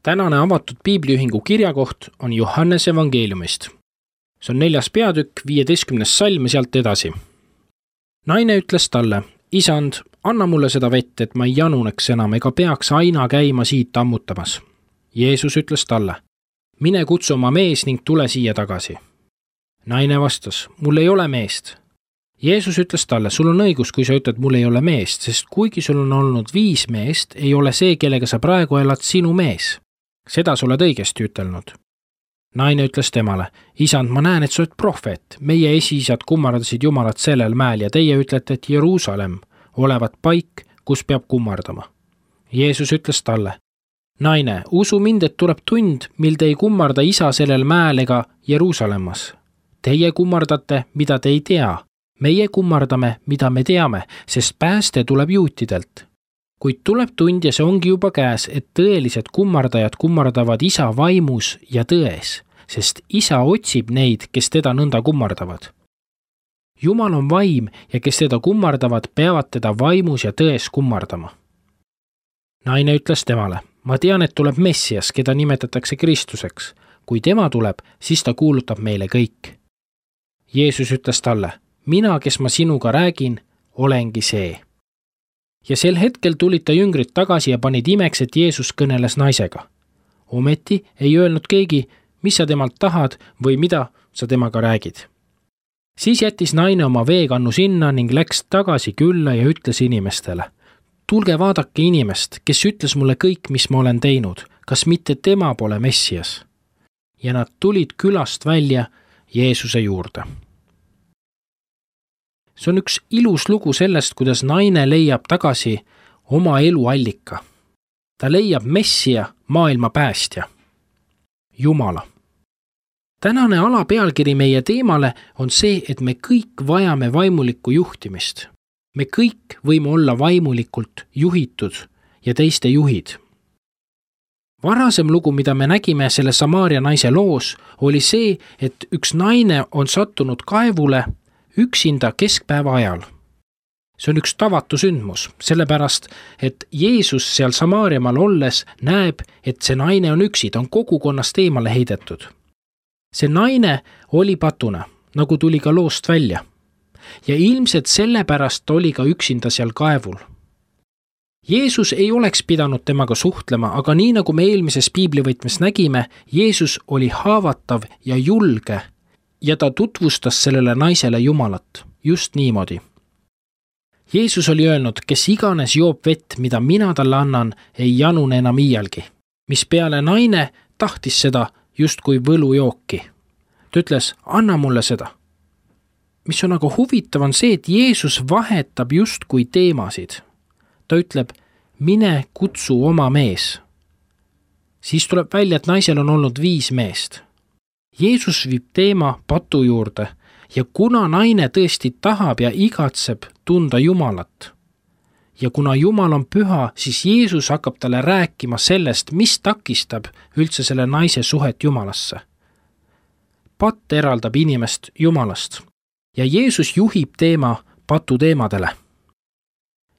Tänane avatud piibliühingu kirjakoht on Johannese evangeeliumist. See on 4. peatükk, 15. salm ja sealt edasi. Naine ütles talle, isand, anna mulle seda vett, et ma ei januneks enam ega peaks aina käima siit ammutamas. Jeesus ütles talle, mine kutsu oma mees ning tule siia tagasi. Naine vastas, mul ei ole meest. Jeesus ütles talle, sul on õigus, kui sa ütled, mul ei ole meest, sest kuigi sul on olnud 5 meest, ei ole see, kellega sa praegu elad, sinu mees. Seda sa oled õigesti ütelnud. Naine ütles temale, isand, ma näen, et sa oled prohvet. Meie esiisad kummardasid Jumalat sellel mäel ja teie ütlete, et Jeruusalemm olevat paik, kus peab kummardama. Jeesus ütles talle, naine, usu mind, et tuleb tund, mil te ei kummarda isa sellel mäel ega Jeruusalemmas. Teie kummardate, mida te ei tea. Meie kummardame, mida me teame, sest pääste tuleb juutidelt. Kuid tuleb tund ja see ongi juba käes, et tõelised kummardajad kummardavad isa vaimus ja tões, sest isa otsib neid, kes teda nõnda kummardavad. Jumal on vaim ja kes teda kummardavad, peavad teda vaimus ja tões kummardama. Naine ütles temale, ma tean, et tuleb Messias, keda nimetatakse Kristuseks. Kui tema tuleb, siis ta kuulutab meile kõik. Jeesus ütles talle, mina, kes ma sinuga räägin, olengi see. Ja sel hetkel tulid ta jüngrid tagasi ja panid imeks, et Jeesus kõneles naisega. Ometi ei öelnud keegi, mis sa temalt tahad või mida sa temaga räägid. Siis jättis naine oma veekannu sinna ning läks tagasi külla ja ütles inimestele, tulge vaadake inimest, kes ütles mulle kõik, mis ma olen teinud, kas mitte tema pole Messias. Ja nad tulid külast välja Jeesuse juurde. See on üks ilus lugu sellest, kuidas naine leiab tagasi oma elu allika. Ta leiab Messia, maailma päästja, Jumala. Tänane alapealkiri meie teemale on see, et me kõik vajame vaimulikku juhtimist. Me kõik võime olla vaimulikult juhitud ja teiste juhid. Varasem lugu, mida me nägime selle Samaaria naise loos, oli see, et üks naine on sattunud kaevule üksinda keskpäeva ajal. See on üks tavatu sündmus, sellepärast, et Jeesus seal Samaariamaal olles näeb, et see naine on üksi, ta on kogukonnast eemale heidetud. See naine oli patuna, nagu tuli ka loost välja. Ja ilmselt sellepärast oli ka üksinda seal kaevul. Jeesus ei oleks pidanud temaga suhtlema, aga nii nagu me eelmises piiblivõtmes nägime, Jeesus oli haavatav ja julge ja ta tutvustas sellele naisele Jumalat just niimoodi. Jeesus oli öelnud, kes iganes joob vett, mida mina talle annan, ei janune enam iialgi. Mis peale naine tahtis seda just kui võlujooki. Ta ütles, anna mulle seda. Mis on aga huvitav on see, et Jeesus vahetab just kui teemasid. Ta ütleb, mine kutsu oma mees. Siis tuleb välja, et naisel on olnud 5 meest. Jeesus viib teema patu juurde ja kuna naine tõesti tahab ja igatseb tunda Jumalat ja kuna Jumal on püha, siis Jeesus hakkab talle rääkima sellest, mis takistab üldse selle naise suhet Jumalasse. Patt eraldab inimest Jumalast ja Jeesus juhib teema patu teemadele.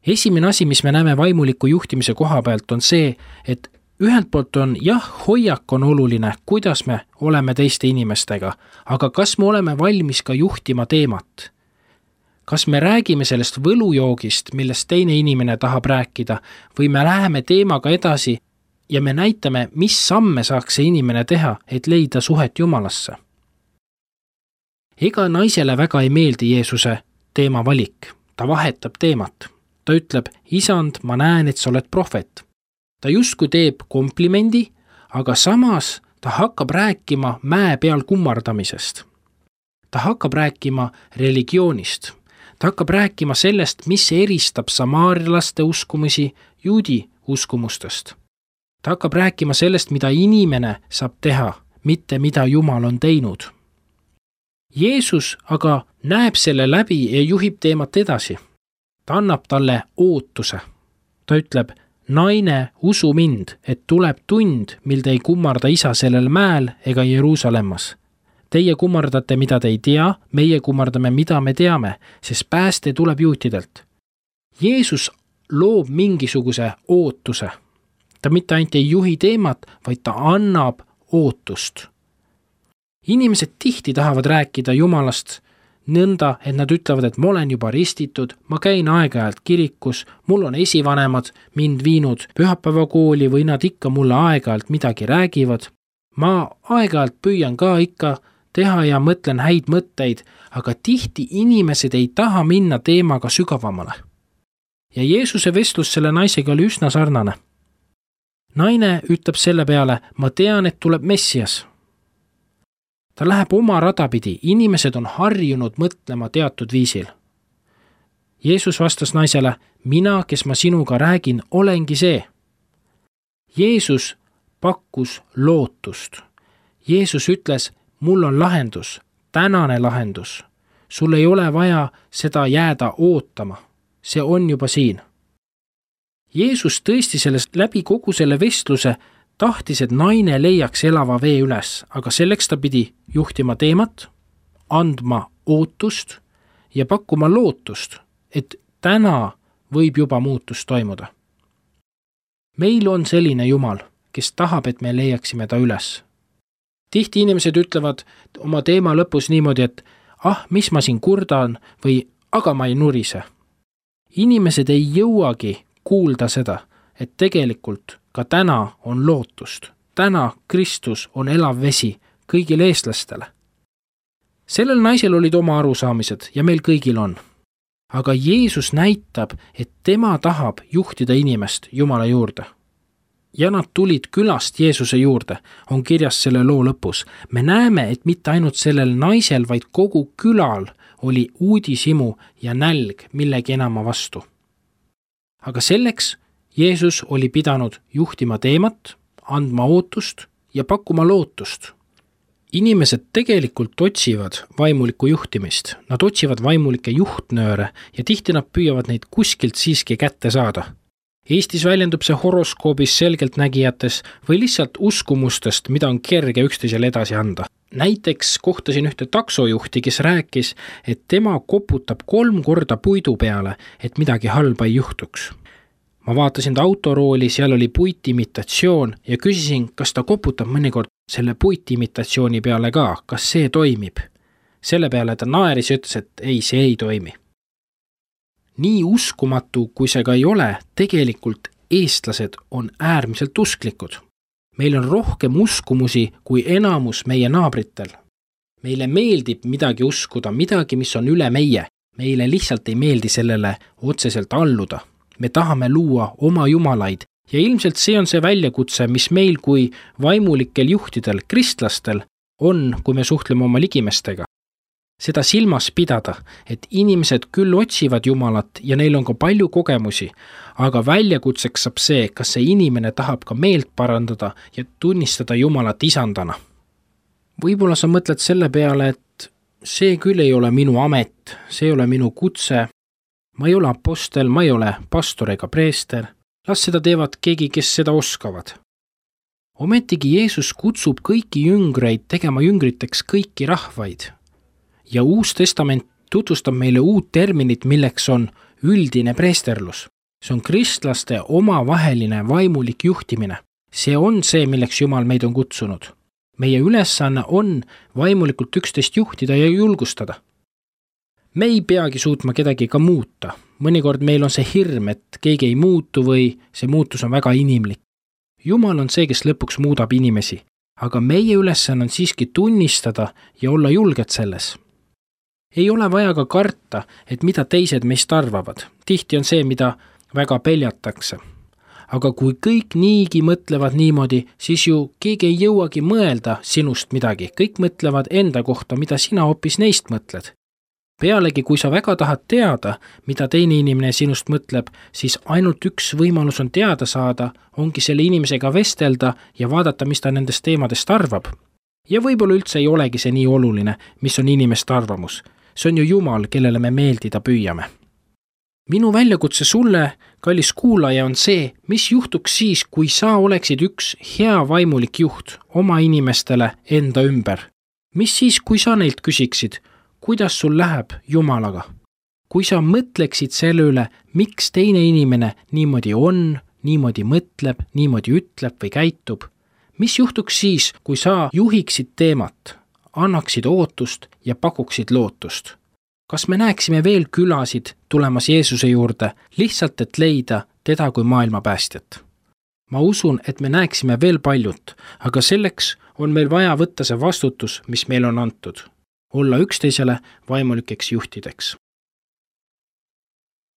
Esimene asi, mis me näeme vaimuliku juhtimise koha pealt, on see, et ühelt poolt on hoiak on oluline, kuidas me oleme teiste inimestega, aga kas me oleme valmis ka juhtima teemat? Kas me räägime sellest võlujoogist, millest teine inimene tahab rääkida, või me läheme teemaga edasi ja me näitame, mis samme saaks see inimene teha, et leida suhet Jumalasse? Ega naisele väga ei meeldi Jeesuse teema valik. Ta vahetab teemat. Ta ütleb, isand, ma näen, et sa oled prohvet. Ta justkui teeb komplimendi, aga samas ta hakkab rääkima mäe peal kummardamisest. Ta hakkab rääkima religioonist. Ta hakkab rääkima sellest, mis eristab samaarilaste uskumusi juudi uskumustest. Ta hakkab rääkima sellest, mida inimene saab teha, mitte mida Jumal on teinud. Jeesus aga näeb selle läbi ja juhib teemat edasi. Ta annab talle ootuse. Ta ütleb, naine, usu mind, et tuleb tund, mil te ei kummarda isa sellel mäel ega Jeruusalemmas. Teie kummardate, mida te ei tea, meie kummardame, mida me teame, sest pääste tuleb juutidelt. Jeesus loob mingisuguse ootuse. Ta mitte ainult ei juhi teemat, vaid ta annab ootust. Inimesed tihti tahavad rääkida Jumalast nõnda, et nad ütlevad, et ma olen juba ristitud, ma käin aeg-ajalt kirikus, mul on esivanemad mind viinud pühapäevakooli või nad ikka mulle aeg-ajalt midagi räägivad. Ma aeg-ajalt püüan ka ikka teha ja mõtlen häid mõtteid, aga tihti inimesed ei taha minna teemaga sügavamale. Ja Jeesuse vestlus selle naisega oli üsna sarnane. Naine ütleb selle peale, ma tean, et tuleb Messias. Ta läheb oma rada pidi, inimesed on harjunud mõtlema teatud viisil. Jeesus vastas naisele, mina, kes ma sinuga räägin, olengi see. Jeesus pakkus lootust. Jeesus ütles, mul on lahendus, tänane lahendus. Sul ei ole vaja seda jääda ootama. See on juba siin. Jeesus tõesti sellest läbi kogu selle vestluse tahtis, et naine leiaks elava vee üles, aga selleks ta pidi juhtima teemat, andma ootust ja pakkuma lootust, et täna võib juba muutus toimuda. Meil on selline Jumal, kes tahab, et me leiaksime ta üles. Tihti inimesed ütlevad oma teema lõpus niimoodi, et mis ma siin kurdan või aga ma ei nurise. Inimesed ei jõuagi kuulda seda, et tegelikult ka täna on lootust. Täna Kristus on elav vesi kõigile eestlastele. Sellel naisel olid oma arusaamised ja meil kõigil on. Aga Jeesus näitab, et tema tahab juhtida inimest Jumala juurde. Ja nad tulid külast Jeesuse juurde, on kirjas selle loo lõpus. Me näeme, et mitte ainult sellel naisel, vaid kogu külal oli uudishimu ja nälg millegi enama vastu. Aga selleks Jeesus oli pidanud juhtima teemat, andma ootust ja pakkuma lootust. Inimesed tegelikult otsivad vaimulikku juhtimist. Nad otsivad vaimulikke juhtnööre ja tihti nad püüavad neid kuskilt siiski kätte saada. Eestis väljendub see horoskoobis, selgeltnägijates või lihtsalt uskumustest, mida on kerge üksteisele edasi anda. Näiteks kohtasin ühte taksojuhti, kes rääkis, et tema koputab 3 korda puidu peale, et midagi halba ei juhtuks. Ma vaatasin ta autorooli, seal oli puitimitatsioon ja küsisin, kas ta koputab mõnikord selle puitimitatsiooni peale ka, kas see toimib. Selle peale ta naeris ja ütles, et ei, see ei toimi. Nii uskumatu, kui see ka ei ole, tegelikult eestlased on äärmiselt usklikud. Meil on rohkem uskumusi kui enamus meie naabritel. Meile meeldib midagi uskuda, midagi, mis on üle meie. Meile lihtsalt ei meeldi sellele otseselt alluda. Me tahame luua oma jumalaid ja ilmselt see on see väljakutse, mis meil kui vaimulikel juhtidel, kristlastel on, kui me suhtleme oma ligimestega. Seda silmas pidada, et inimesed küll otsivad Jumalat ja neil on ka palju kogemusi, aga väljakutseks saab see, kas see inimene tahab ka meelt parandada ja tunnistada Jumalat isandana. Võib-olla sa mõtled selle peale, et see küll ei ole minu amet, see ei ole minu kutse, ma ei ole apostel, ma ei ole pastor ega preester, las seda teevad keegi, kes seda oskavad. Ometigi Jeesus kutsub kõiki jüngreid tegema jüngriteks kõiki rahvaid. Ja Uus Testament tutvustab meile uut terminit, milleks on üldine preesterlus. See on kristlaste omavaheline vaimulik juhtimine. See on see, milleks Jumal meid on kutsunud. Meie ülesanne on vaimulikult üksteist juhtida ja julgustada. Me ei peagi suutma kedagi ka muuta. Mõnikord meil on see hirm, et keegi ei muutu või see muutus on väga inimlik. Jumal on see, kes lõpuks muudab inimesi, aga meie ülesanne on siiski tunnistada ja olla julged selles. Ei ole vaja ka karta, et mida teised meist arvavad. Tihti on see, mida väga peljatakse. Aga kui kõik niigi mõtlevad niimoodi, siis ju keegi ei jõuagi mõelda sinust midagi. Kõik mõtlevad enda kohta, mida sina hoopis neist mõtled. Pealegi, kui sa väga tahad teada, mida teine inimene sinust mõtleb, siis ainult üks võimalus on teada saada, ongi selle inimesega vestelda ja vaadata, mis ta nendest teemadest arvab. Ja võib-olla üldse ei olegi see nii oluline, mis on inimeste arvamus. See on ju Jumal, kellele me meeldida püüame. Minu väljakutse sulle, kallis kuulaja, on see, mis juhtuks siis, kui sa oleksid üks hea vaimulik juht oma inimestele enda ümber. Mis siis, kui sa neilt küsiksid, kuidas sul läheb Jumalaga? Kui sa mõtleksid selle üle, miks teine inimene niimoodi on, niimoodi mõtleb, niimoodi ütleb või käitub. Mis juhtuks siis, kui sa juhiksid teemat, annaksid ootust ja pakuksid lootust? Kas me näeksime veel külasid tulemas Jeesuse juurde, lihtsalt et leida teda kui maailma päästjat? Ma usun, et me näeksime veel paljut, aga selleks on meil vaja võtta see vastutus, mis meil on antud. Olla üksteisele vaimulikeks juhtideks.